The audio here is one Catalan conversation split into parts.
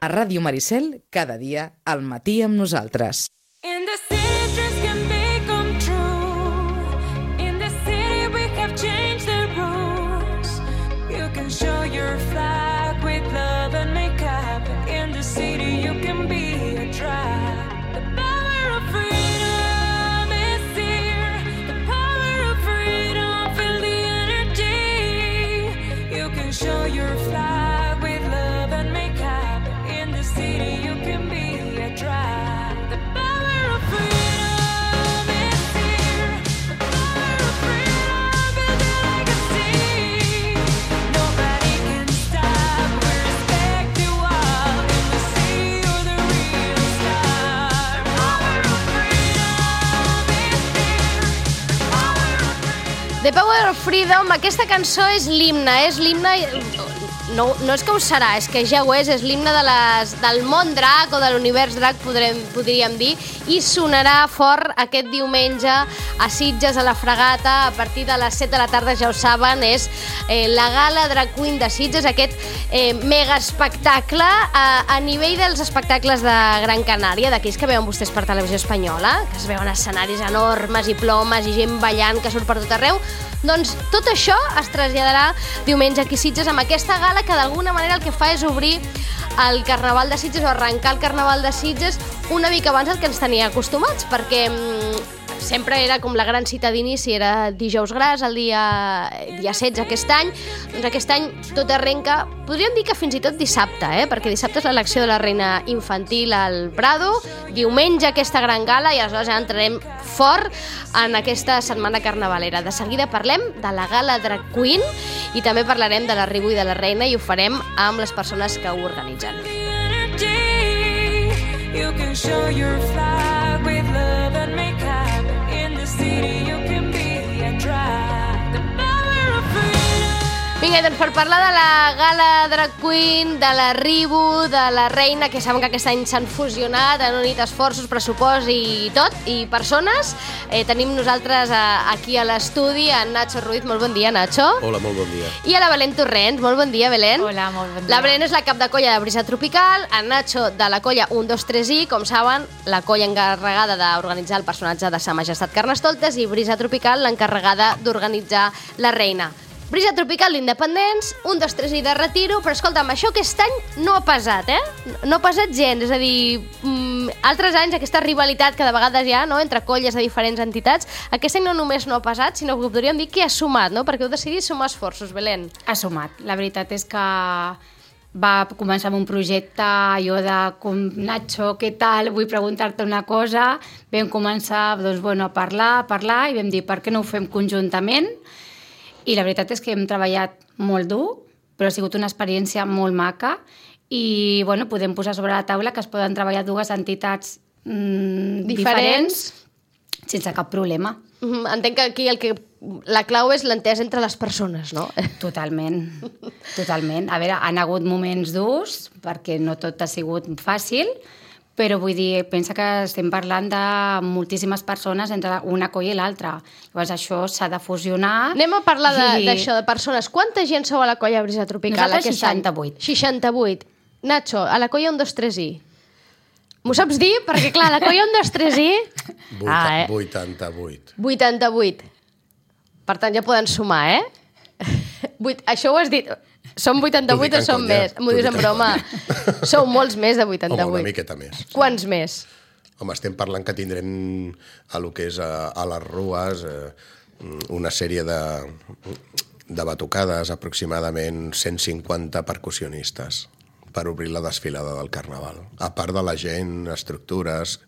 A Ràdio Maricel, cada dia, al matí amb nosaltres. In the city dreams can become true. In the city we have changed the rules. You can show your flag with love and makeup. In the city you can be a drag. The power of freedom is here. The power of freedom, feel the energy. You can show your flag with love and makeup. In the city you can be a drag. The Power of Freedom, aquesta cançó és l'himne, no és que ho serà, és que ja ho és l'himne del món drac o de l'univers drac, podríem dir, i sonarà fort aquest diumenge a Sitges, a la Fragata, a partir de les 7 de la tarda, ja ho saben, és la Gala Drag Queen de Sitges, aquest mega espectacle a nivell dels espectacles de Gran Canària, d'aquells que veuen vostès per televisió espanyola, que es veuen escenaris enormes i plomes i gent ballant que surt per tot arreu. Doncs tot això es traslladarà diumenge aquí a Sitges amb aquesta gala que d'alguna manera el que fa és obrir el Carnaval de Sitges o arrencar el Carnaval de Sitges una mica abans del que ens tenia acostumats, perquè sempre era com la gran cita d'inici, era Dijous Gras, el dia 16 aquest any. Doncs aquest any tot arrenca, podríem dir que fins i tot dissabte, perquè dissabte és l'elecció de la reina infantil al Prado, diumenge aquesta gran gala i aleshores ja entrarem fort en aquesta setmana carnavalera. De seguida parlem de la Gala Drag Queen i també parlarem de l'arribo i de la reina i ho farem amb les persones que ho organitzen. You can show your flag with love and makeup. In the city you can be a drag. The power of freedom. Vinga, doncs per parlar de la Gala Drag Queen, de l'arribo, de la reina, que saben que aquest any s'han fusionat, han unit esforços, pressupost i tot, i persones, tenim nosaltres aquí a l'estudi en Nacho Ruiz. Molt bon dia, Nacho. Hola, molt bon dia. I a la Belén Torrents. Molt bon dia, Belén. Hola, molt bon dia. La Belén és la cap de colla de Brisa Tropical, en Nacho de la colla 123i, com saben, la colla encarregada d'organitzar el personatge de Sa Majestat Carnestoltes, i Brisa Tropical, l'encarregada d'organitzar la reina. Brisa Tropical d'Independents, 123i de Retiro, però escolta'm, això aquest any no ha pesat, No ha pesat gens, és a dir, altres anys aquesta rivalitat que de vegades hi ha, entre colles de diferents entitats, aquest any no només no ha pesat, sinó que podríem dir que ha sumat, perquè heu decidit sumar esforços, Belén. Ha sumat. La veritat és que va començar amb un projecte, jo de com, Nacho, què tal? Vull preguntar-te una cosa. Vam començar a parlar i vam dir per què no ho fem conjuntament. I la veritat és que hem treballat molt dur, però ha sigut una experiència molt maca i podem posar sobre la taula que es poden treballar dues entitats diferents sense cap problema. Entenc que aquí la clau és l'entesa entre les persones, no? Totalment. A veure, han hagut moments durs perquè no tot ha sigut fàcil, però vull dir, pensa que estem parlant de moltíssimes persones entre una colla i l'altra. Llavors això s'ha de fusionar. Anem a parlar d'això, de persones. Quanta gent sou a la colla Brisa Tropical? Nosaltres 68. 68. Nacho, a la colla 123i. M'ho saps dir? Perquè clar, la colla 123i... 88. 88. Per tant, ja poden sumar, Això ho has dit... Som 88 o som més? M'ho dius en broma. Sou molts més de 88. Home, una miqueta més. Quants més? Home, estem parlant que tindrem a lo que és a les rues una sèrie de batucades, aproximadament 150 percussionistes per obrir la desfilada del Carnaval. A part de la gent, estructures,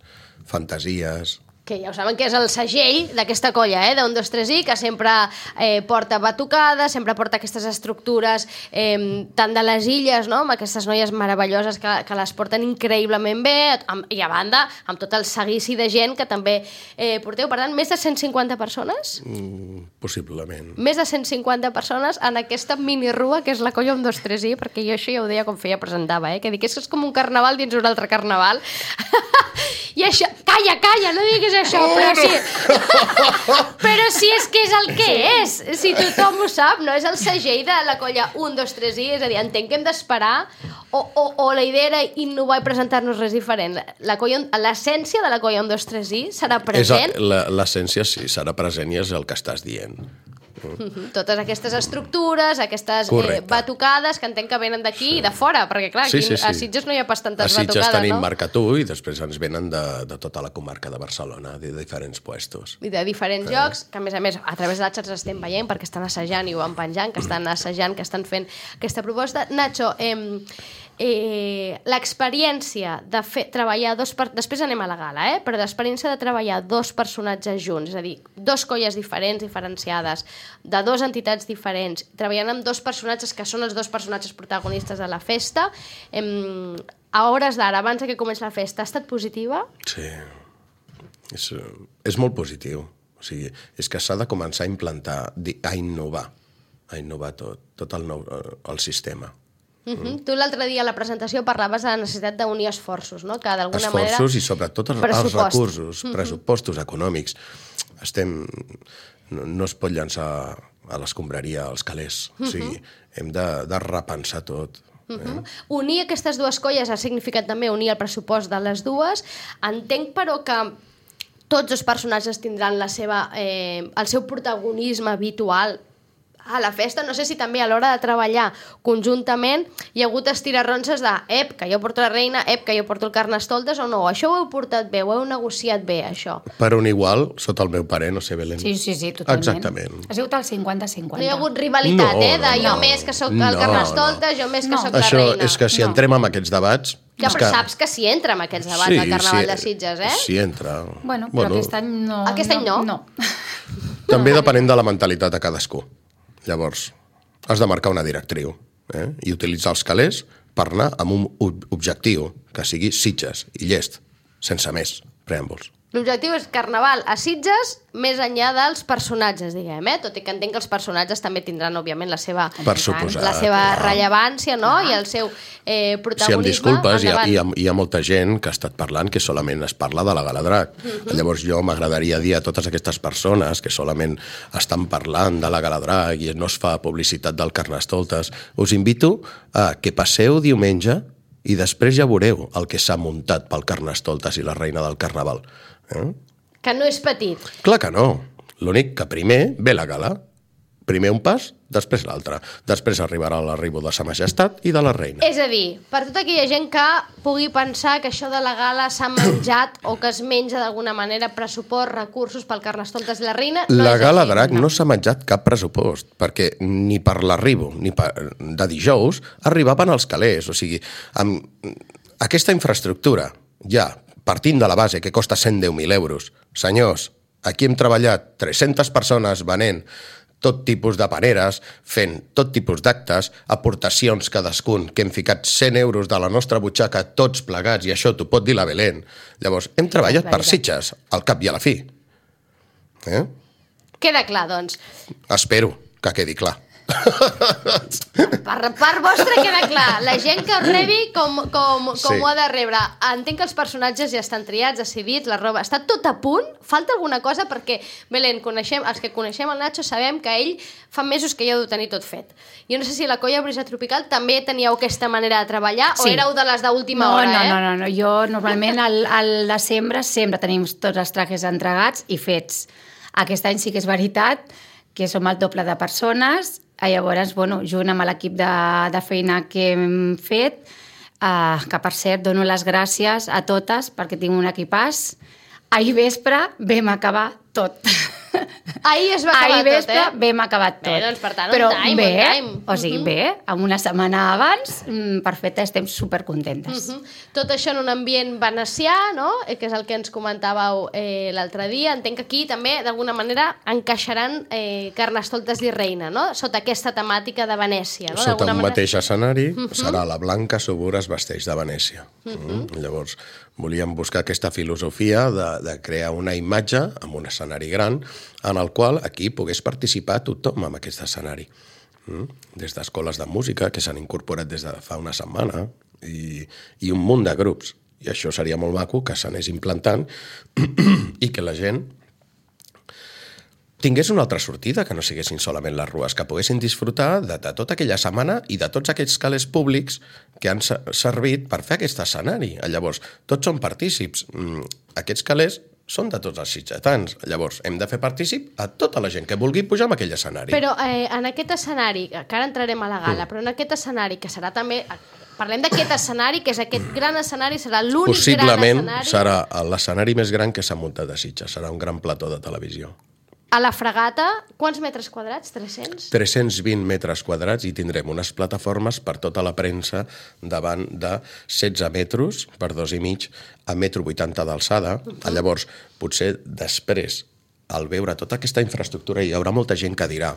fantasies... Que ja ho saben que és el segell d'aquesta colla, de 123i, que sempre porta batucades, sempre porta aquestes estructures tant de les illes, amb aquestes noies meravelloses que les porten increïblement bé, i a banda, amb tot el seguici de gent que també porteu. Per tant, més de 150 persones? Possiblement. Més de 150 persones en aquesta minirua que és la colla 123i, perquè jo això ja ho deia com feia presentava, que dic, és com un carnaval dins un altre carnaval. I això... Calla, no diguis això, però sí. Però sí, és que és el que és. Si tothom ho sap, no? És el segell de la colla 1, 2, 3 i, és a dir, entenc que hem d'esperar o la idea era innovar i presentar-nos res diferent. L'essència de la colla 1, 2, 3 i serà present? L'essència sí, serà present i és el que estàs dient. Totes aquestes estructures, aquestes batucades que entenc que venen d'aquí i de fora, perquè clar, aquí a Sitges no hi ha pas tantes batucades, no? A Sitges tenim Marca Tu i després ens venen de tota la comarca de Barcelona, de diferents puestos. I de diferents llocs, que a més, a través de les xarxes estem veient perquè estan assajant i ho van penjant, que estan assajant, que estan fent aquesta proposta. Nacho, l'experiència de treballar després anem a la gala, però l'experiència de treballar dos personatges junts, és a dir, dos colles diferents, diferenciades, de dues entitats diferents, treballant amb dos personatges que són els dos personatges protagonistes de la festa, a hores d'ara, abans que comenci la festa, ha estat positiva? Sí, és molt positiu. O sigui, és que s'ha de començar a implantar, a innovar tot el sistema. Tu l'altre dia a la presentació parlaves de la necessitat d'unir esforços, no? Que d'alguna manera... Esforços i sobretot els recursos, pressupostos econòmics. No es pot llançar a l'escombraria els calés. O sigui, hem de repensar tot. Unir aquestes dues colles ha significat també unir el pressupost de les dues. Entenc, però, que tots els personatges tindran el seu protagonisme habitual a la festa. No sé si també a l'hora de treballar conjuntament hi ha hagut estirarronses de que jo porto la reina, que jo porto el carnestoltes, o no, això ho heu portat bé, ho heu negociat bé, això. Per un igual, sota el meu parer, no sé, Belén. Sí, totalment. Exactament. Ha sigut el 50-50. No hi ha hagut rivalitat, jo més que sóc el carnestoltes, jo més que sóc la reina. Això és que si entrem en aquests debats... Ja, però saps que si entra en aquests debats al Carnaval de Sitges, Sí, entra. Bueno, però aquest any no. Aquest any no? No. També depenent de la mentalitat de cadascú. Llavors, has de marcar una directriu i utilitzar els calés per anar amb un objectiu que sigui Sitges i llest, sense més preàmbuls. L'objectiu és Carnaval a Sitges més enllà dels personatges, diguem, tot i que entenc que els personatges també tindran, òbviament, la seva rellevància, no? I el seu protagonisme. Si em disculpes, hi ha molta gent que ha estat parlant que solament es parla de la Gala Drac. Llavors jo m'agradaria dir a totes aquestes persones que solament estan parlant de la Gala Drac i no es fa publicitat del Carnestoltes, us invito a que passeu diumenge i després ja veureu el que s'ha muntat pel Carnestoltes i la reina del Carnaval. Que no és petit. Clar que no. L'únic que primer ve la gala. Primer un pas, després l'altre. Després arribarà l'arribo de sa majestat i de la reina. És a dir, per tota aquella gent que pugui pensar que això de la gala s'ha menjat o que es menja d'alguna manera pressupost, recursos pel Carnestoltes i la reina, no és així. La Gala Drac no s'ha menjat cap pressupost, perquè ni per l'arribo ni de dijous arribaven els calés. O sigui, amb aquesta infraestructura ja partint de la base que costa 110.000 euros. Senyors, aquí hem treballat 300 persones venent tot tipus de paneres, fent tot tipus d'actes, aportacions cadascun, que hem ficat 100 euros de la nostra butxaca tots plegats, i això t'ho pot dir la Belén. Llavors, hem treballat per Sitges, al cap i a la fi. Queda clar, doncs. Espero que quedi clar. Per part vostra queda clar. La gent que ho rebi com ho ha de rebre. Entenc que els personatges ja estan triats, decidits, la roba està tot a punt. Falta alguna cosa perquè, Belén, els que coneixem el Nacho sabem que ell fa mesos que ja ho deu tenir tot fet. Jo no sé si la colla Brisa Tropical també teníeu aquesta manera de treballar o éreu de les d'última hora, No. Jo normalment al desembre sempre tenim tots els trajes entregats i fets. Aquest any sí que és veritat que som el doble de persones. Llavors, junt amb l'equip de feina que hem fet, que per cert dono les gràcies a totes perquè tinc un equipàs. Ahir vespre vam acabar tot. Ahir es va acabar Ahir vespre vam acabar tot. Bé, doncs per tant, però on time. O sigui, bé, amb una setmana abans, perfecte, estem supercontentes. Tot això en un ambient venecià, no? Que és el que ens comentàveu l'altre dia. Entenc que aquí també, d'alguna manera, encaixaran Carnestoltes i Reina, no? Sota aquesta temàtica de Venècia, no? Sota un mateix escenari serà la Blanca Subur es vesteix de Venècia. Llavors, volíem buscar aquesta filosofia de crear una imatge amb un escenari gran en el qual aquí pogués participar tothom en aquest escenari. Des d'escoles de música que s'han incorporat des de fa una setmana i un munt de grups I això seria molt maco, que s'anés implantant i que la gent tingués una altra sortida, que no siguessin solament les rues, que poguessin disfrutar de tota aquella setmana i de tots aquests calés públics que han servit per fer aquest escenari. Llavors, tots són partícips. Aquests calés són de tots els sitgetans. Llavors, hem de fer partícip a tota la gent que vulgui pujar en aquell escenari. Però en aquest escenari, que ara entrarem a la gala, però en aquest escenari, que serà també... Parlem d'aquest escenari, que és aquest gran escenari, serà l'únic gran Possiblement escenari... serà l'escenari més gran que s'ha muntat a Sitges. Serà un gran plató de televisió. A la Fragata, quants metres quadrats? 300? 320 metres quadrats i tindrem unes plataformes per tota la premsa davant de 16 metres per 2,5 a 1,80 m d'alçada. Llavors, potser després, al veure tota aquesta infraestructura, hi haurà molta gent que dirà: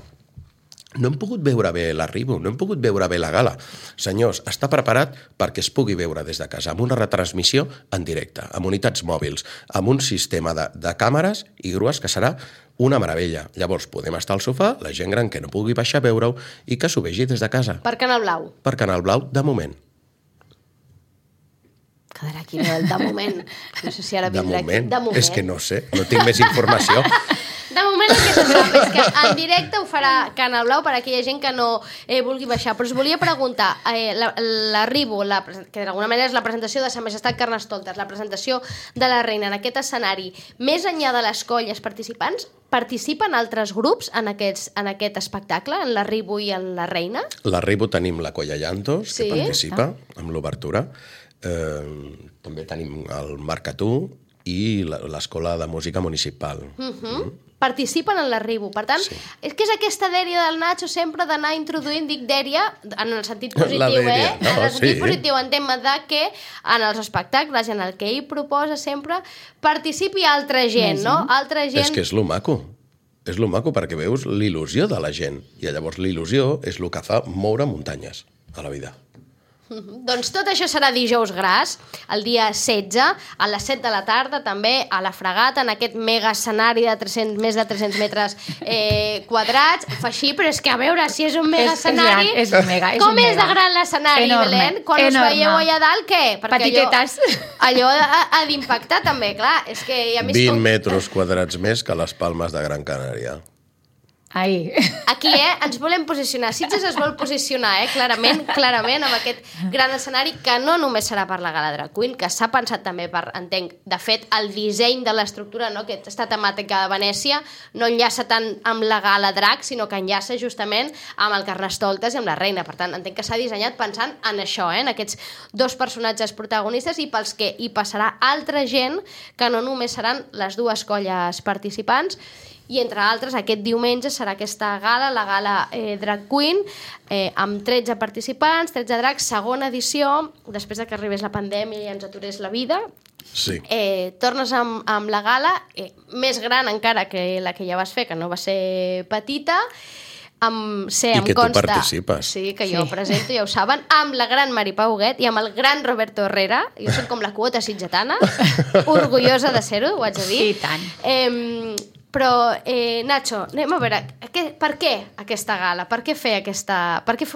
no hem pogut veure bé l'arribo, no hem pogut veure bé la gala. Senyors, està preparat perquè es pugui veure des de casa, amb una retransmissió en directe, amb unitats mòbils, amb un sistema de càmeres i grues que serà una meravella. Llavors podem estar al sofà, la gent gran que no pugui baixar a veure-ho i que s'ho vegi des de casa. Per Canal Blau. Per Canal Blau, de moment. Quedarà aquí el de moment. No sé si ara De vindrà moment. aquí. De moment. És que no sé, no tinc més informació. De moment el que se sap és que en directe ho farà Canal Blau per a aquella gent que no vulgui baixar. Però us volia preguntar, l'arribo, que d'alguna manera és la presentació de Sa Majestat Carnestoltes, la presentació de la reina en aquest escenari, més enllà de les colles participants, participen altres grups en aquest espectacle, en l'arribo i en la reina? L'arribo tenim la Colla Llantos, Sí? que participa amb l'obertura. També tenim el Marcatú i l'Escola de Música Municipal. Participen en l'arribo. Per tant, Sí. és que és aquesta dèria del Nacho sempre d'anar introduint, dic dèria, en el sentit La positiu, dèria, no, en el sentit sí. positiu, en tema de que en els espectacles, en el que ell proposa sempre, participi altra gent, no? Altra gent... És que és lo maco. És lo maco perquè veus l'il·lusió de la gent. I llavors l'il·lusió és el que fa moure muntanyes a la vida. Doncs tot això serà dijous gras, el dia 16, a les 7 de la tarda, també a la Fragata, en aquest mega escenari de més de 300 metres quadrats. Fa així, però és que a veure si és un mega escenari... És un mega, és Com un és de mega. gran l'escenari, Enorme, Belén? Quan us enorme. veieu allà dalt, què? Petitetes. Allò ha d'impactar també, clar. És que a més 20 metres quadrats més que les Palmes de Gran Canària. Ai. Aquí, ens volem posicionar. Sitges es vol posicionar, clarament, amb aquest gran escenari que no només serà per la Gala Drag Queen, que s'ha pensat també per, entenc, de fet, el disseny de l'estructura, no?, aquesta temàtica de Venècia, no enllaça tant amb la Gala Drag, sinó que enllaça justament amb el Carnestoltes i amb la reina. Per tant, entenc que s'ha dissenyat pensant en això, en aquests dos personatges protagonistes i pels que hi passarà altra gent que no només seran les dues colles participants. I, entre altres, aquest diumenge serà aquesta gala, la Gala Drag Queen, amb 13 participants, 13 drags, segona edició, després de que arribés la pandèmia i ens aturés la vida. Sí. Tornes amb la gala, més gran encara que la que ja vas fer, que no va ser petita, I que tu participes. Sí, que jo presento, ja ho saben, amb la gran Mari Pau Huguet i amb el gran Roberto Herrera. Jo soc com la quota sitgetana, orgullosa de ser-ho, ho haig de dir. I tant. Però, Nacho, anem a veure, per què aquesta gala? Per què fer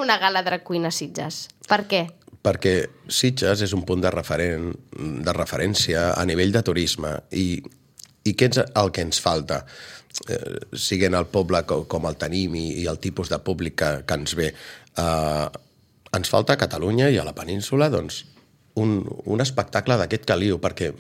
una gala drag queen a Sitges? Per què? Perquè Sitges és un punt de referència a nivell de turisme i què és el que ens falta? Siguent el poble com el tenim i el tipus de públic que ens ve. Ens falta a Catalunya i a la península doncs, un espectacle d'aquest caliu, perquè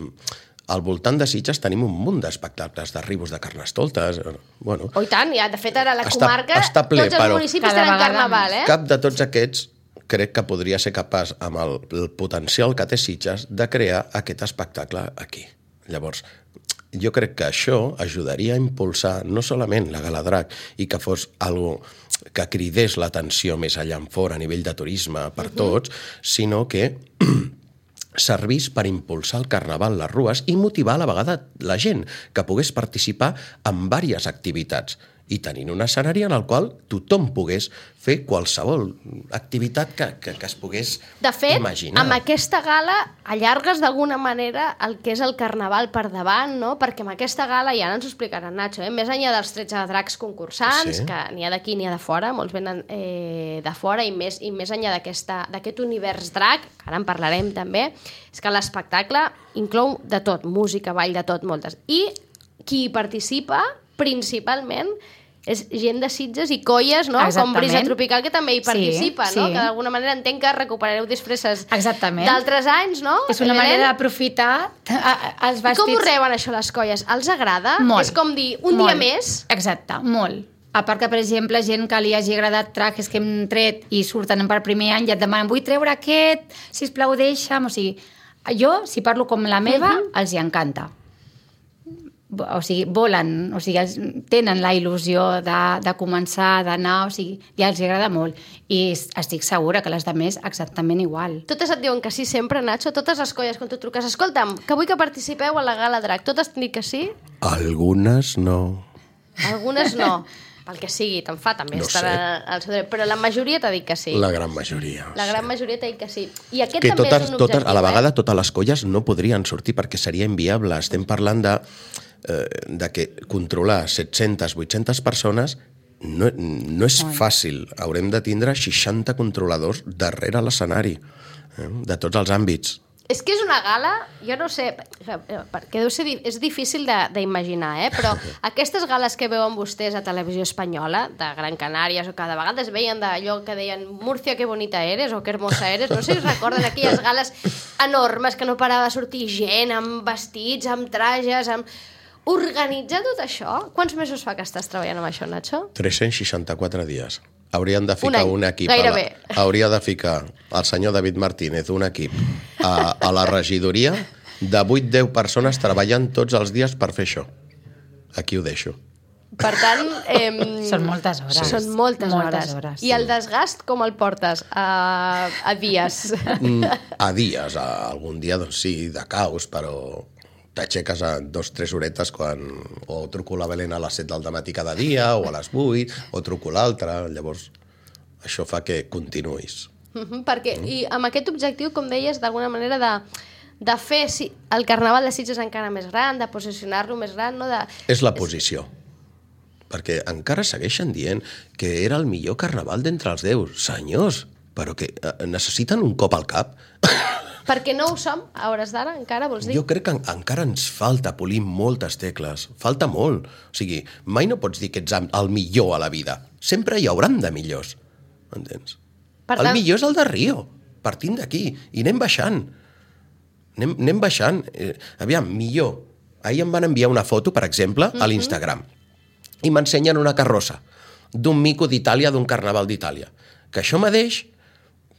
al voltant de Sitges tenim un munt d'espectacles d'arribos de Carnestoltes. Bueno, Oh, i tant, ja, de fet, ara a la Està comarca ple, tots els però municipis cada tenen vegada carnaval, cap de tots aquests crec que podria ser capaç, amb el potencial que té Sitges, de crear aquest espectacle aquí. Llavors, jo crec que això ajudaria a impulsar no solament la Gala Drag i que fos algo que cridés l'atenció més allà en fora a nivell de turisme per tots, sinó que servís per impulsar el carnaval, les rues, i motivar a la vegada la gent que pogués participar en diverses activitats. i tenint un escenari en el qual tothom pogués fer qualsevol activitat que es pogués De fet, imaginar. amb aquesta gala allargues d'alguna manera el que és el carnaval per davant, no? Perquè amb aquesta gala, ja ens ho explicarà en Nacho, més enllà dels 13 dracs concursants, Sí. que n'hi ha d'aquí n'hi ha de fora, molts venen de fora, i més enllà d'aquest univers drac, que ara en parlarem també, és que l'espectacle inclou de tot, música, ball, de tot, moltes. I qui hi participa, principalment, és gent de Sitges i colles, no? Com Exactament. Brisa Tropical, que també hi participa, Sí, no? sí. Que d'alguna manera entenc que recuperareu disfresses Exactament. d'altres anys, no? És una Belén? manera d'aprofitar els I vestits... com ho reben, això, les colles? Els agrada? Molt. És com dir, un dia més? Exacte, molt. A part que, per exemple, gent que li hagi agradat trajes que hem tret i surten per primer any i et demanen, vull treure aquest, sisplau, deixa'm. O sigui, jo, si parlo com la meva, els hi encanta. O sigui, volen, o sigui, tenen la il·lusió de començar, d'anar, o sigui, ja els agrada molt. I estic segura que les de més exactament igual. Totes et diuen que sí sempre, Nacho? Totes les colles, quan tu truques, escolta'm, que vull que participeu a la Gala Drac. Totes t'han dit que sí? Algunes no. Algunes no. Pel que sigui, te'n fa, també No estarà al seu dret. Però la majoria t'ha dit que sí. La gran majoria. La gran majoria t'ha dit que sí. I aquest Que també és un objectiu, a la vegada totes les colles no podrien sortir perquè seria inviable. Estem parlant de que controlar 700, 800 persones no és fàcil. Haurem de tindre 60 controladors darrere l'escenari, de tots els àmbits. És que és una gala, jo no sé, perquè deu ser, és difícil d'imaginar, però aquestes gales que veuen vostès a Televisió Espanyola, de Gran Canària, o que de vegades veien d'allò que deien Múrcia, que bonita eres, o que hermosa eres, no sé si us recorden aquelles gales enormes que no parava de sortir gent amb vestits, amb trajes, amb... Organitzar tot això? Quants mesos fa que estàs treballant amb això, Nacho? 364 dies. Haurien de Un ficar any, un equip. gairebé. Hauria de ficar el senyor David Martínez, un equip, a la regidoria de 8-10 persones treballant tots els dies per fer això. Aquí ho deixo. Per tant... Són moltes hores. Són moltes hores. I el desgast com el portes? A dies? A dies, algun dia, doncs sí, de caos, però t'aixeques a 2-3 horetes o truco la Belén a les 7 del matí cada dia, o a les 8, o truco l'altre, llavors això fa que continuïs. Perquè, i amb aquest objectiu, com deies, d'alguna manera de fer el Carnaval de Sitges encara més gran, de posicionar-lo més gran, no? És la posició. Perquè encara segueixen dient que era el millor carnaval d'entre els déus. Senyors, però que necessiten un cop al cap. Perquè no ho som, a hores d'ara, encara, vols dir? Jo crec que encara ens falta polir moltes tecles. Falta molt. O sigui, mai no pots dir que ets el millor a la vida. Sempre hi hauran de millors. Entens? El millor és el de Rio. Partim d'aquí. I anem baixant. Anem baixant. Aviam, millor. Ahir em van enviar una foto, per exemple, a l'Instagram. I m'ensenyen una carrossa d'un mico d'Itàlia, d'un carnaval d'Itàlia. Que això mateix...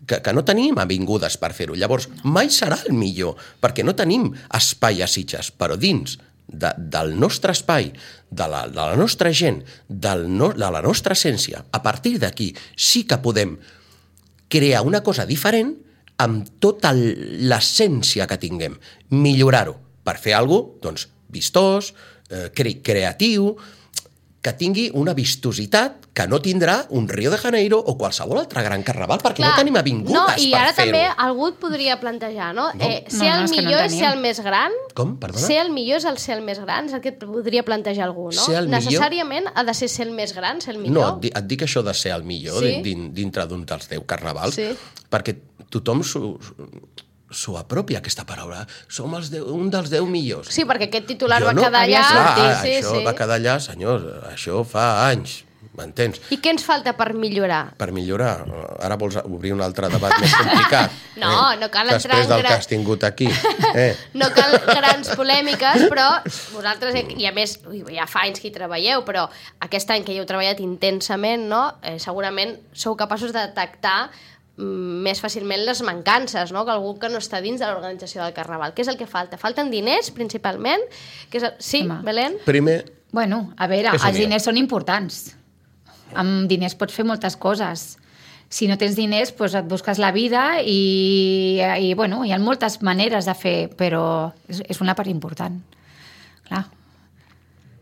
que no tenim avingudes per fer-ho. Llavors, mai serà el millor, perquè no tenim espai a Sitges, però dins del nostre espai, de la nostra gent, de la nostra essència, a partir d'aquí sí que podem crear una cosa diferent amb tota l'essència que tinguem, millorar-ho, per fer alguna cosa, doncs, vistós, creatiu, que tingui una vistositat que no tindrà un Rio de Janeiro o qualsevol altre gran carnaval, perquè no tenim avingudes per fer-ho. I ara també algú et podria plantejar, no? Ser el millor és ser el més gran? Com? Perdona? Ser el millor és el ser el més gran? És el que et podria plantejar algú, no? Ser el millor... Necessàriament ha de ser el més gran, ser el millor? millor? No, et dic això de ser el millor dintre d'un dels 10 carnavals, perquè tothom s'ho apropia, aquesta paraula. Som un dels 10 millors. Sí, perquè aquest titular va quedar allà. Això va quedar allà, senyors. Això fa anys, m'entens? I què ens falta per millorar? Per millorar? Ara vols obrir un altre debat més complicat? No cal entrar després del que has tingut aquí. No cal grans polèmiques, però vosaltres, i a més, ja fa anys que hi treballeu, però aquest any que hi heu treballat intensament, no? Segurament sou capaços de detectar més fàcilment les mancances, no? Que algú que no està dins de l'organització del Carnaval. Què és el que falta? Falten diners, principalment? Sí, Belén? Primer... Bueno, a veure, els diners són importants. Amb diners pots fer moltes coses. Si no tens diners, doncs et busques la vida i bueno, hi ha moltes maneres de fer, però és una part important. Clar.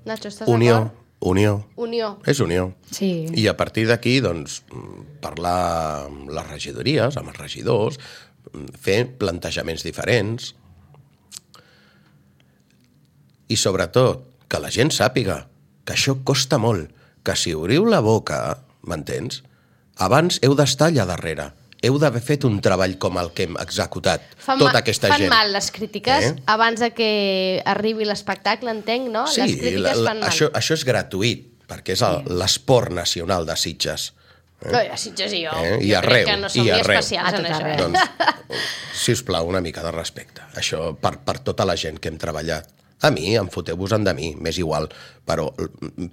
Nacho, estàs Unió, d'acord? Unió. Unió. És unió. Sí. I a partir d'aquí, doncs, parlar amb les regidories, amb els regidors, fer plantejaments diferents i, sobretot, que la gent sàpiga que això costa molt, que si obriu la boca, m'entens? Abans heu d'estar allà darrere, heu d'haver fet un treball com el que hem executat, tota aquesta gent. Fan mal les crítiques abans de que arribi l'espectacle, entenc, no? Sí, les crítiques fan mal. això és gratuït, perquè és l'esport nacional de Sitges. A Sitges i jo. I Jo arreu, crec que no som i ni arreu. especials en això. Doncs, sisplau, una mica de respecte. Això per tota la gent que hem treballat. A mi, em foteu-vos-en de mi, m'és igual, però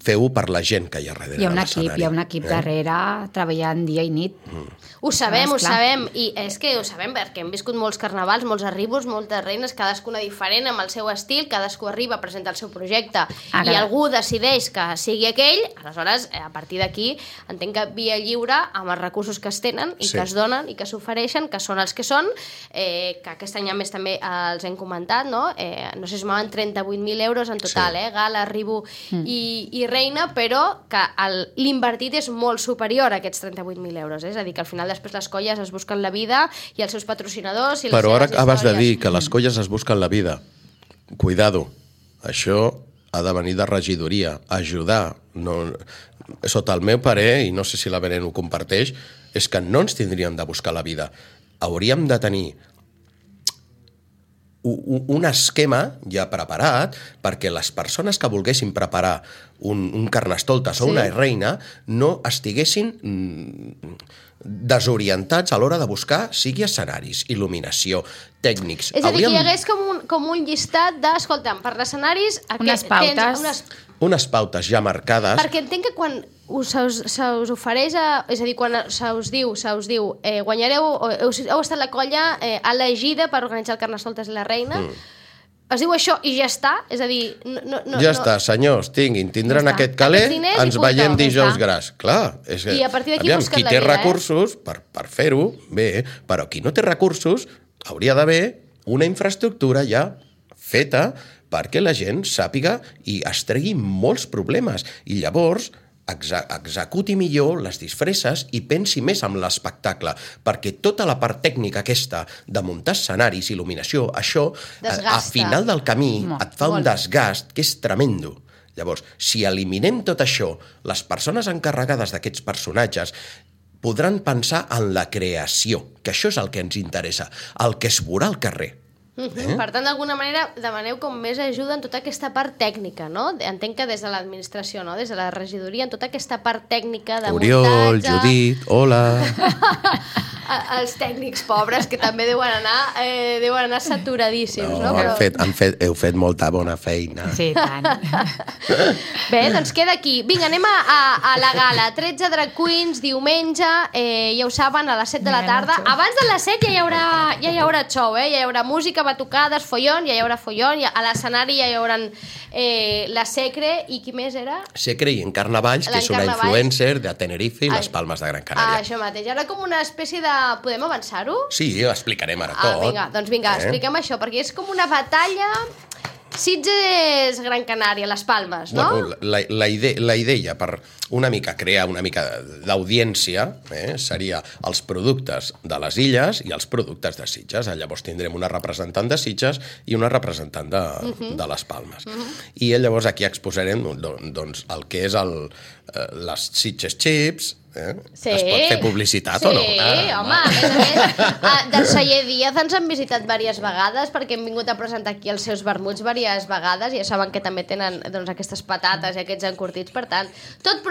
feu-ho per la gent que hi ha darrere Hi ha un de l'escenari. equip, darrere treballant dia i nit. Ho sabem, Esclar. i és que ho sabem perquè hem viscut molts carnavals, molts arribos, moltes reines, cadascuna diferent, amb el seu estil, cadascú arriba a presentar el seu projecte i algú decideix que sigui aquell, aleshores, a partir d'aquí, entenc que via lliure, amb els recursos que es tenen i que es donen i que s'ofereixen, que són els que són, que aquest any a més també els hem comentat, no? No sé si sumaven 38.000 euros en total, gala, arribo i reina, però que l'invertit és molt superior a aquests 38.000 euros, és a dir, que al final després les colles es busquen la vida i els seus patrocinadors i les Però ara seves acabes de històries. dir que les colles es busquen la vida. Cuidado, això ha de venir de regidoria, ajudar. No, sota el meu parer, i no sé si la Belén ho comparteix, és que no ens tindríem de buscar la vida. Hauríem de tenir un esquema ja preparat perquè les persones que volguessin preparar un carnestoltes o una reina no estiguessin desorientats a l'hora de buscar sigui escenaris, il·luminació, tècnics. És a dir, que hi hagués com un llistat de, escolta'm, per escenaris... Unes pautes. Unes pautes ja marcades. Perquè entenc que quan se us ofereix, és a dir, quan se us diu, guanyareu, heu estat la colla elegida per organitzar el Carnestoltes i la Reina, es diu això i ja està? És a dir... Ja està, senyors, tindran aquest caler, ens veiem dijous gras. Clar, és que, I a partir d'aquí busquen qui la té vida, recursos per fer-ho, bé, però qui no té recursos hauria d'haver una infraestructura ja feta perquè la gent sàpiga i es tregui molts problemes. I llavors executi millor les disfresses i pensi més en l'espectacle, perquè tota la part tècnica aquesta de muntar escenaris, il·luminació, això, al final del camí et fa un desgast que és tremendo. Llavors, si eliminem tot això, les persones encarregades d'aquests personatges podran pensar en la creació, que això és el que ens interessa, el que es veurà al carrer. Per tant, d'alguna manera, demaneu com més ajuda en tota aquesta part tècnica, no? Entenc que des de l'administració, no? Des de la regidoria, en tota aquesta part tècnica de Oriol, muntatge... Judit, hola... Els tècnics pobres, que també deuen anar saturadíssims, no? Però... Heu fet molta bona feina. Sí, tant. Bé, doncs queda aquí. Vinga, anem a la gala. 13 drag queens, diumenge, ja ho saben, a les 7 de la tarda. Abans de les 7 ja hi haurà show, ja hi haurà música, batucades, follon, ja hi haurà follon, a l'escenari ja hi haurà la Secre, i qui més era? Secre i Encarna Valls, que és una influencer de Tenerife i les Palmes de Gran Canària. Això mateix. Ara com una espècie de... Podem avançar-ho? Sí, ho explicarem ara tot. Vinga, expliquem això, perquè és com una batalla... Sitges, Gran Canària, les Palmes, no? Bueno, la idea per una mica crear una mica d'audiència seria els productes de les illes i els productes de Sitges. Llavors tindrem una representant de Sitges i una representant de les Palmes. I llavors aquí exposarem doncs, el que és les Sitges Chips. Sí. Es pot fer publicitat o no? Sí, home, a més, del Celler Díaz ens han visitat diverses vegades perquè hem vingut a presentar aquí els seus vermuts diverses vegades i ja saben que també tenen doncs, aquestes patates i aquests encurtits, per tant, tot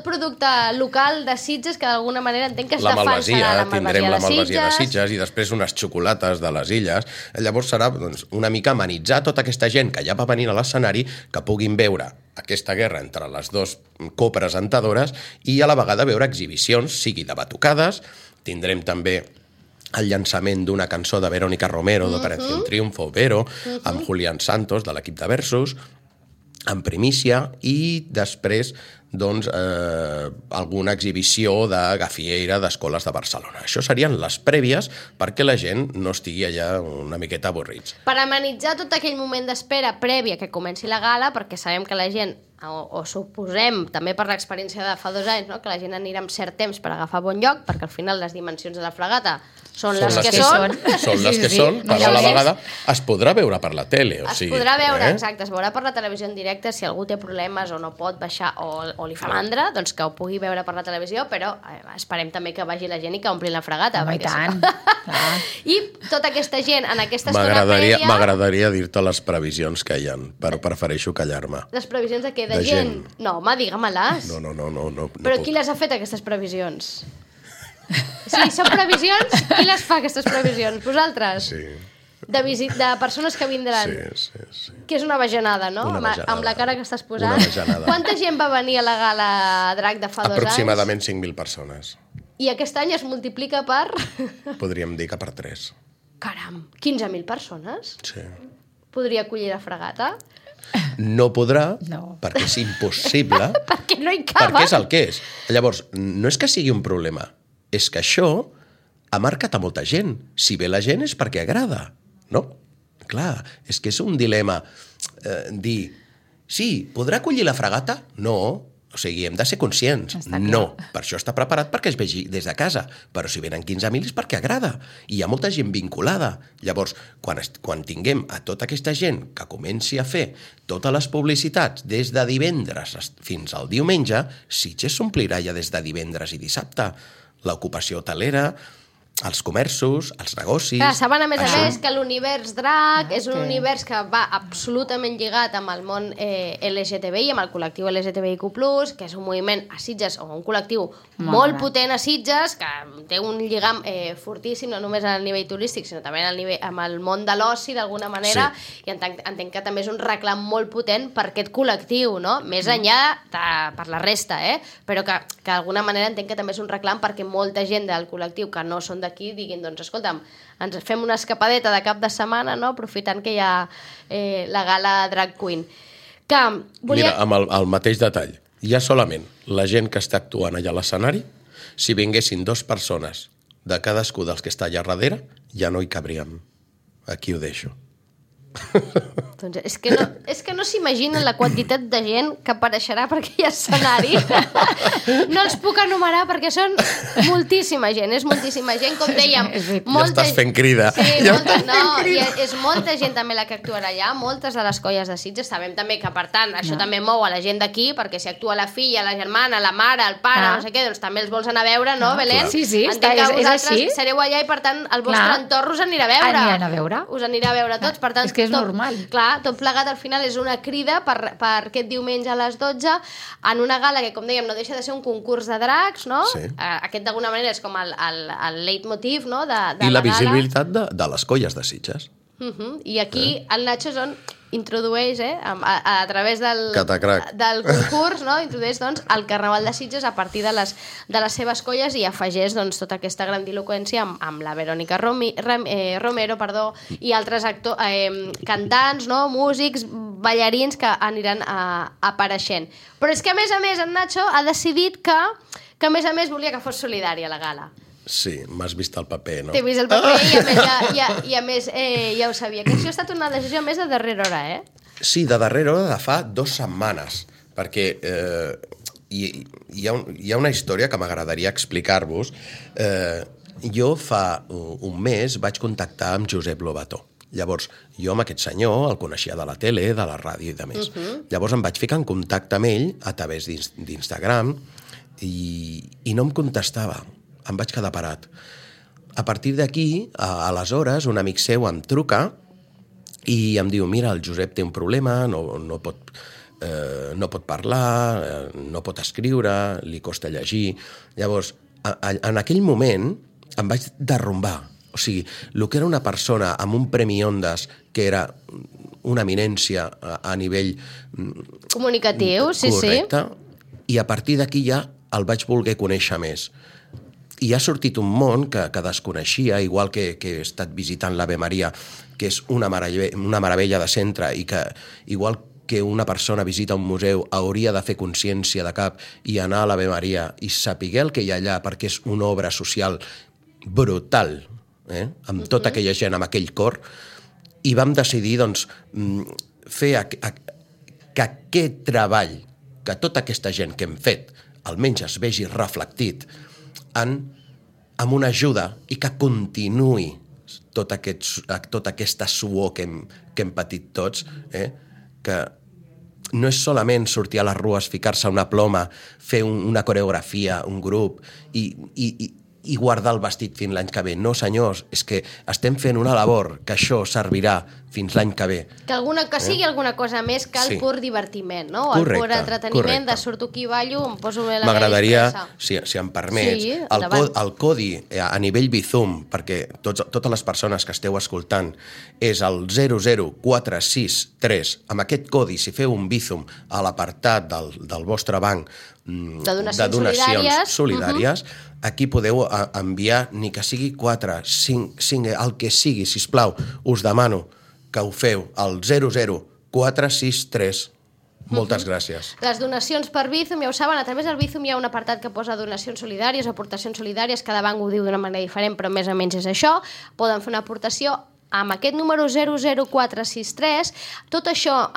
producte local de Sitges que d'alguna manera entenc que es defensarà la malvasia tindrem la de malvasia de Sitges. Sitges i després unes xocolates de les illes. Llavors serà doncs, una mica amenitzar tota aquesta gent que ja va venir a l'escenari, que puguin veure aquesta guerra entre les dues copresentadores i a la vegada veure exhibicions, sigui de batucades, tindrem també el llançament d'una cançó de Verónica Romero, d'Operación Triunfo, Vero, amb Julián Santos, de l'equip de Versus, en primícia, i després doncs, alguna exhibició de gafieira d'escoles de Barcelona. Això serien les prèvies perquè la gent no estigui allà una miqueta avorrits. Per amenitzar tot aquell moment d'espera prèvia que comenci la gala, perquè sabem que la gent o suposem, també per l'experiència de fa 2 anys, no? Que la gent anirà amb cert temps per agafar bon lloc, perquè al final les dimensions de la fregata són les que són. Són les que són, però a la vegada es podrà veure per la tele. Es podrà veure, exacte, es veurà per la televisió en directe, si algú té problemes o no pot baixar o li fa mandra, doncs que ho pugui veure per la televisió, però esperem també que vagi la gent i que ompli la fregata. Home, i tant. I tota aquesta gent en aquesta estona prèvia... M'agradaria dir-te les previsions que hi ha, però prefereixo callar-me. Les previsions de què? De gent? No, home, digue-me-les. No. Però qui les ha fet, aquestes previsions? Sí, són previsions? Qui les fa, aquestes previsions? Vosaltres? Sí. De persones que vindran? Sí. Que és una bajanada, no? Amb la cara que estàs posant. Una bajanada. Quanta gent va venir a la gala Drac de fa 2 anys? Aproximadament 5.000 persones. I aquest any es multiplica per... Podríem dir que per 3. Caram, 15.000 persones? Sí. Podria acollir la fregata? No podrà, No. perquè és impossible, Perquè no hi caben. perquè és el que és. Llavors, no és que sigui un problema, és que això ha marcat a molta gent. Si ve la gent és perquè agrada, no? Clar, és que és un dilema dir, sí, podrà acollir la fregata? No. O sigui, hem de ser conscients. No, per això està preparat perquè es vegi des de casa. Però si venen 15.000 és perquè agrada. I hi ha molta gent vinculada. Llavors, quan tinguem a tota aquesta gent que comenci a fer totes les publicitats des de divendres fins al diumenge, Sitges s'omplirà ja des de divendres i dissabte. L'ocupació hotelera, els comerços, els negocis... Clar, saben a més que l'univers drac és un univers que va absolutament lligat amb el món LGTBI, amb el col·lectiu LGTBIQ+, que és un moviment a Sitges, o un col·lectiu molt potent a Sitges, que té un lligam fortíssim, no només al nivell turístic, sinó també amb el món de l'oci, d'alguna manera, i entenc que també és un reclam molt potent per aquest col·lectiu, no? Més enllà per la resta, però que d'alguna manera entenc que també és un reclam perquè molta gent del col·lectiu que no són d'aquí diguin, doncs escolta'm, ens fem una escapadeta de cap de setmana, no? Aprofitant que hi ha la gala Drag Queen. Mira, amb el mateix detall, ja solament la gent que està actuant allà a l'escenari, si vinguessin 2 persones de cadascú dels que està allà darrere, ja no hi cabríem. Aquí ho deixo. Doncs és que no s'imaginen la quantitat de gent que apareixerà per aquell escenari. No els puc enumerar perquè són moltíssima gent, és moltíssima gent, com dèiem. Ja estàs fent crida. Sí, és molta gent també la que actuarà allà, moltes de les colles de Sitges. Sabem també que, per tant, això també mou a la gent d'aquí, perquè si actua la filla, la germana, la mare, el pare, no sé què, doncs també els vols anar a veure, no, Belén? Sí, entenc que vosaltres així. sereu allà i, per tant, el vostre entorn us anirà a veure. Aniran a veure. Us anirà a veure tots, per tant, és que és normal. Clar, tot plegat al final és una crida per aquest diumenge a les 12 en una gala que, com dèiem, no deixa de ser un concurs de dracs, no? Sí. Aquest d'alguna manera és com el leitmotiv, no? I la visibilitat de les colles de Sitges. I aquí el Nacho introdueix, a través del concurs, no? Introdueix doncs, el Carnaval de Sitges a partir de les seves colles i afegeix doncs, tota aquesta grandiloquència amb la Verònica Romero i altres cantants, no? Músics, ballarins que aniran apareixent. Però és que, a més, en Nacho ha decidit que a més volia que fos solidària la gala. Sí, m'has vist el paper, no? T'he vist el paper i a més ja ho sabia. Que això ha estat una decisió més de darrera hora, Sí, de darrera hora de fa 2 setmanes, perquè hi ha una història que m'agradaria explicar-vos. Jo fa un mes vaig contactar amb Josep Lobató. Llavors, jo amb aquest senyor el coneixia de la tele, de la ràdio i de més. Llavors em vaig ficar en contacte amb ell a través d'Instagram i no em contestava. Em vaig quedar parat. A partir d'aquí, aleshores, un amic seu em truca i em diu, mira, el Josep té un problema, no pot parlar, no pot escriure, li costa llegir. Llavors, en aquell moment em vaig derrumbar. O sigui, el que era una persona amb un premi Ondas, que era una eminència a nivell comunicatiu, correcte, i a partir d'aquí ja el vaig voler conèixer més. I ha sortit un món que desconeixia, igual que he estat visitant l'Ave Maria, que és una meravella de centre, i que, igual que una persona visita un museu, hauria de fer consciència de cap i anar a l'Ave Maria i saber el que hi ha allà, perquè és una obra social brutal, amb tota aquella gent, amb aquell cor, i vam decidir doncs, fer que aquest treball que tota aquesta gent que hem fet almenys es vegi reflectit amb una ajuda i que continuï tota aquesta suor que hem patit tots, que no és solament sortir a les rues, ficar-se una ploma, fer una coreografia, un grup i guardar el vestit fins l'any que ve. No, senyors, és que estem fent una labor que això servirà fins l'any que ve. Que sigui alguna cosa més que el pur divertiment, no? El pur entreteniment de surto aquí, ballo, em poso bé la m'agradaria, si em permets, el codi a nivell Bizum, perquè totes les persones que esteu escoltant, és el 00463. Amb aquest codi, si feu un Bizum a l'apartat del vostre banc de donacions solidàries, aquí podeu enviar ni que sigui 4, 5, el que sigui, sisplau, us demano que ho feu al 00463. Moltes gràcies. Les donacions per Bizum, ja ho saben, a través del Bizum hi ha un apartat que posa donacions solidàries, aportacions solidàries, cada banc ho diu d'una manera diferent, però més o menys és això. Poden fer una aportació amb aquest número 00463. Tot això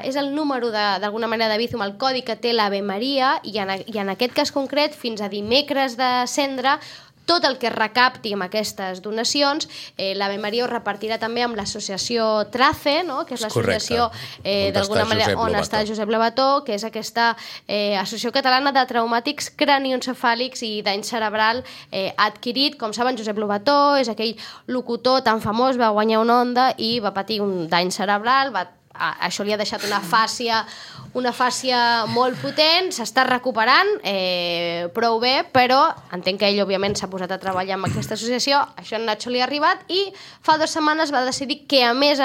és el número d'alguna manera de Bizum, el codi que té l'Ave Maria, i en aquest cas concret, fins a dimecres de Cendra, tot el que es recapti amb aquestes donacions, l'Ave Maria ho repartirà també amb l'associació TRACE, no? Que és l'associació d'alguna manera on està Josep Lobató, que és aquesta associació catalana de traumàtics cranioencefàlics i dany cerebral adquirit. Com saben, Josep Lobató és aquell locutor tan famós, va guanyar una Onda i va patir un dany cerebral, això li ha deixat una fàscia molt potent, s'està recuperant prou bé, però entenc que ell òbviament s'ha posat a treballar amb aquesta associació, això a Nacho li ha arribat i fa 2 setmanes va decidir que a més,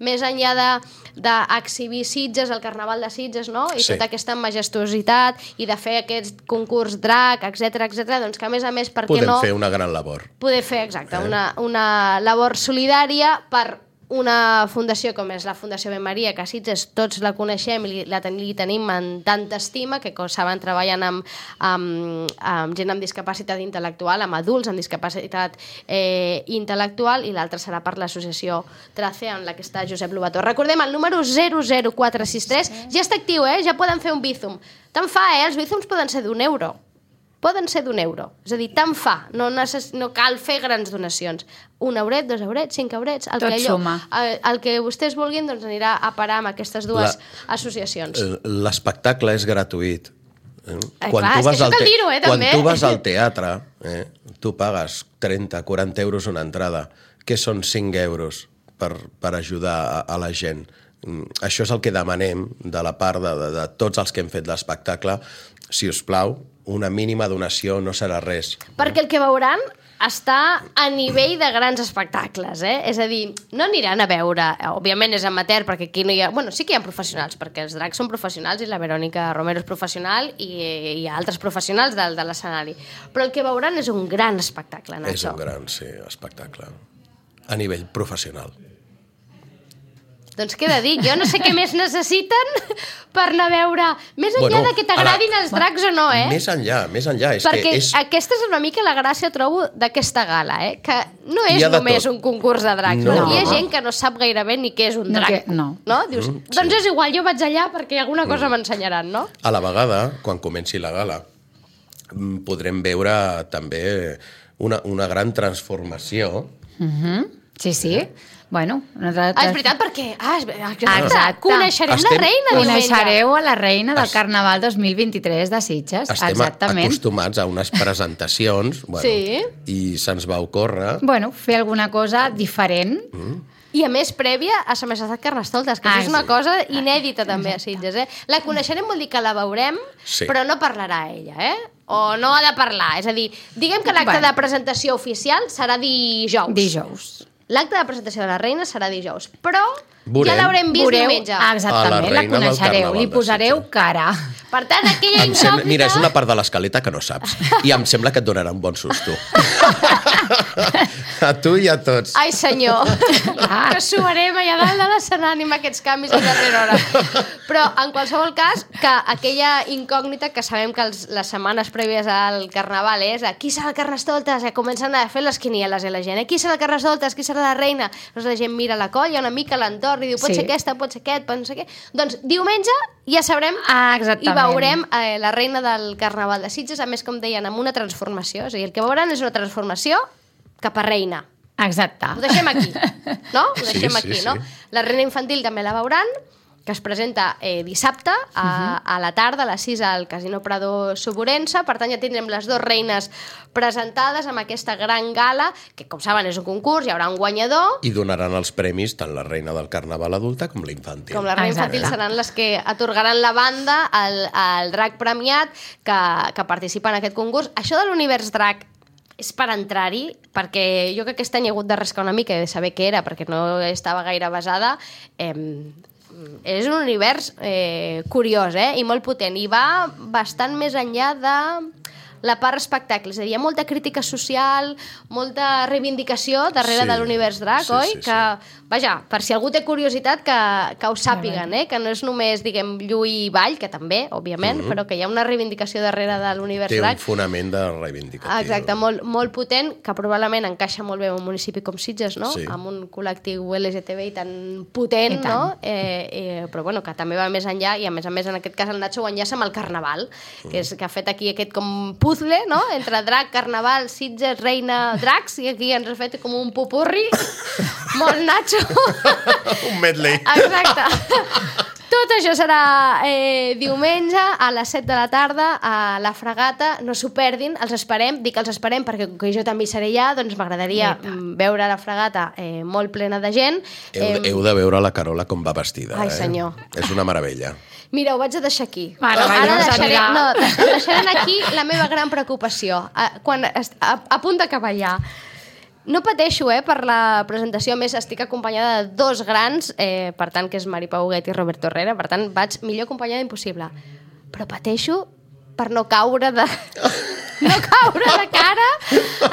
més enllà d'exhibir Sitges, el Carnaval de Sitges, no? I tota aquesta majestuositat i de fer aquest concurs drac, etc, doncs que a més, per què no... Podem fer una gran labor. Poder fer, exacte, una labor solidària per una fundació com és la Fundació Ave Maria, que a Sitges tots la coneixem i li tenim en tanta estima, que com saben treballen amb gent amb discapacitat intel·lectual, amb adults amb discapacitat intel·lectual, i l'altra serà per l'associació TRACE, en la que està Josep Lobató. Recordem, el número 00463 ja està actiu, ja poden fer un Bizum. Tant fa, els Bizums poden ser d'€1. Poden ser d'€1. És a dir, tant fa. No cal fer grans donacions. 1 euret, 2 eurets, 5 eurets... Tot suma. El que vostès vulguin doncs anirà a parar amb aquestes dues associacions. L'espectacle és gratuït. Clar, és que això cal dir-ho, també. Quan tu vas al teatre, tu pagues 30-40 euros una entrada, que són 5 euros per ajudar a la gent. Això és el que demanem de la part de tots els que hem fet l'espectacle. Si us plau, una mínima donació no serà res. Perquè el que veuran està a nivell de grans espectacles, És a dir, no aniran a veure... Òbviament és amateur, perquè aquí no hi ha... Bueno, sí que hi ha professionals, perquè els dracs són professionals i la Verònica Romero és professional i hi ha altres professionals de l'escenari. Però el que veuran és un gran espectacle, Nacho. És un gran, espectacle. A nivell professional. Doncs què he de dir? Jo no sé què més necessiten per anar a veure... Més enllà de que t'agradin els dracs o no, Més enllà. Perquè aquesta és una mica la gràcia, trobo, d'aquesta gala, que no és només un concurs de dracs. No. Hi ha gent que no sap gairebé ni què és un drac. No. Dius, doncs és igual, jo vaig allà perquè alguna cosa m'ensenyaran, no? A la vegada, quan comenci la gala, podrem veure també una gran transformació. Sí. Bueno, és veritat, perquè... Exacte. Coneixerem la reina diumenge. Coneixereu a la reina del Carnaval 2023 de Sitges. Estem acostumats a unes presentacions i se'ns va ocórrer... Fer alguna cosa diferent. I a més prèvia a la Majestat Carnestoltes, que és una cosa inèdita també a Sitges. La coneixerem vol dir que la veurem, però no parlarà ella, o no ha de parlar. És a dir, diguem que l'acte de presentació oficial serà dijous. L'acte de presentació de la reina serà dijous, però ja l'haurem vist diumenge. Exactament, la coneixereu, li posareu cara. Per tant, aquella incògnita... Mira, és una part de l'escaleta que no saps, i em sembla que et donarà un bon susto. A tu i a tots. Ai, senyor, que suarem allà dalt de l'escenari amb aquests canvis a darrera hora. Però, en qualsevol cas, que aquella incògnita que sabem que les setmanes prèvies al Carnaval és qui serà el Carnestoltes? Comencen a fer les quinieles la gent. Qui serà el Carnestoltes? Qui serà la reina? Doncs la gent mira la colla una mica a l'entorn i diu pot ser aquesta, pot ser aquest, pot no sé què. Doncs diumenge ja sabrem i veurem la reina del Carnaval de Sitges, a més, com deien, amb una transformació. És a dir, el que veuran és una transformació cap a reina. Exacte. Ho deixem aquí, no? Ho deixem Sí, aquí, sí, no? sí. La reina infantil també la veuran, que es presenta dissabte a la tarda, a les 6 al Casino Prado Suburense. Per tant, ja tindrem les dues reines presentades amb aquesta gran gala, que, com saben, és un concurs, hi haurà un guanyador. I donaran els premis tant la reina del Carnaval adulta com la infantil. Com la reina infantil seran les que atorgaran la banda al drac premiat que participa en aquest concurs. Això de l'univers drac és per entrar-hi, perquè jo que aquest any he hagut de rascar una mica i de saber què era, perquè no estava gaire basada. És un univers curiós, i molt potent, i va bastant més enllà de la part espectacle, és a dir, hi ha molta crítica social, molta reivindicació darrere de l'univers drac, oi? Que, vaja, per si algú té curiositat, que ho sàpiguen, que no és només, diguem, lluir i ball, que també, òbviament, però que hi ha una reivindicació darrere de l'univers drac. Té un fonament de reivindicatiu. Exacte, molt potent, que probablement encaixa molt bé en un municipi com Sitges, no? Sí. Amb un col·lectiu LGTBI tan potent, no? Però bueno, que també va més enllà, i a més, en aquest cas el Nacho ho enllaça amb el Carnaval, que ha fet aquí aquest com puzzle, no? Entre drac, Carnaval, Sitges, reina, dracs, i aquí ens ha fet com un pupurri molt Nacho. Un medley. Exacte. Tot això serà diumenge a les 7 de la tarda a la Fragata. No s'ho perdin, els esperem. Dic els esperem perquè com que jo també hi seré allà, doncs m'agradaria veure la Fragata molt plena de gent. Heu de veure la Carola com va vestida. Ai, senyor. És una meravella. Mira, ho vaig a deixar aquí. Ara deixarem aquí la meva gran preocupació. Quan a punt d'acabar ja. No pateixo, per la presentació. A més, estic acompanyada de dos grans, per tant, que és Mari Pau Huguet i Roberto Herrera, per tant, vaig millor acompanyada impossible. Però pateixo per no caure de cara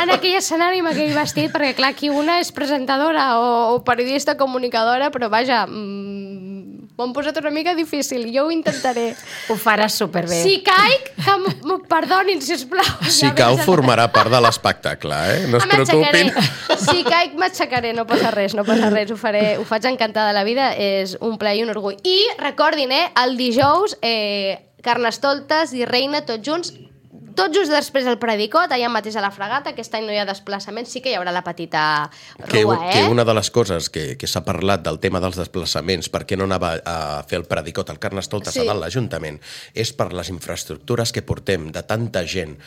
en aquell escenari amb aquell vestit, perquè clar, aquí una és presentadora o periodista comunicadora, però vaja, m'ho han posat una mica difícil, jo ho intentaré. Ho faràs superbé. Si caic, que m'ho perdonin, sisplau. Si cau, formarà part de l'espectacle, no es preocupin. Si caic, m'aixecaré, no passa res, ho faig encantada de la vida, és un plaer i un orgull. I recordin, el dijous, Carnestoltes i Reina, tots junts, tot just després del Predicot, allà mateix a la Fragata. Aquest any no hi ha desplaçament, sí que hi haurà la petita rua, Que una de les coses que s'ha parlat del tema dels desplaçaments, per què no anava a fer el Predicot al Carnestoltes a dalt l'Ajuntament, és per les infraestructures que portem de tanta gent,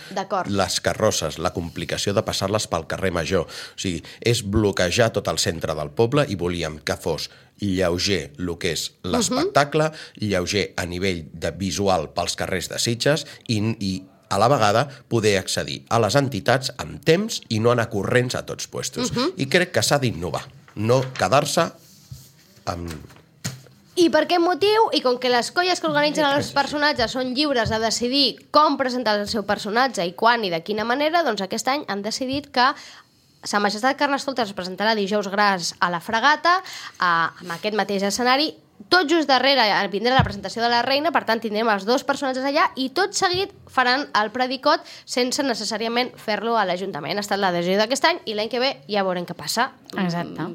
les carrosses, la complicació de passar-les pel carrer Major. O sigui, és bloquejar tot el centre del poble i volíem que fos lleuger el que és l'espectacle, lleuger a nivell de visual pels carrers de Sitges i a la vegada poder accedir a les entitats amb temps i no anar corrents a tots puestos. I crec que s'ha d'innovar, no quedar-se amb... I per aquest motiu, i com que les colles que organitzen els personatges són lliures de decidir com presentar el seu personatge i quan i de quina manera, doncs aquest any han decidit que Sa Majestat Carnestoltes es presentarà dijous gras a la Fragata, amb aquest mateix escenari. Tot just darrere vindrà la presentació de la reina, per tant tindrem els dos personatges allà i tot seguit faran el Predicot sense necessàriament fer-lo a l'Ajuntament. Ha estat la decisió d'aquest any i l'any que ve ja veurem què passa. Exacte.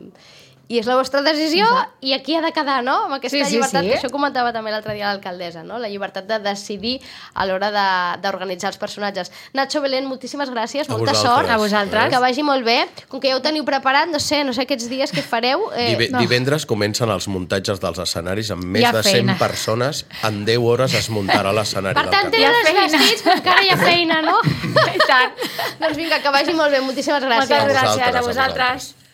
I és la vostra decisió i aquí ha de quedar, no? Amb aquesta llibertat, que això comentava també l'altre dia l'alcaldessa, no? La llibertat de decidir a l'hora d'organitzar els personatges. Nacho, Belén, moltíssimes gràcies, molta sort. A vosaltres. Que vagi molt bé. Com que ja ho teniu preparat, no sé aquests dies que fareu. Divendres comencen els muntatges dels escenaris amb més de 100 persones. En 10 hores es muntarà l'escenari del Carnaval. Per tant, tenen els vestits, però encara hi ha feina, no? I tant. Doncs vinga, que vagi molt bé. Moltíssimes gràcies. Moltes gràcies a vosaltres.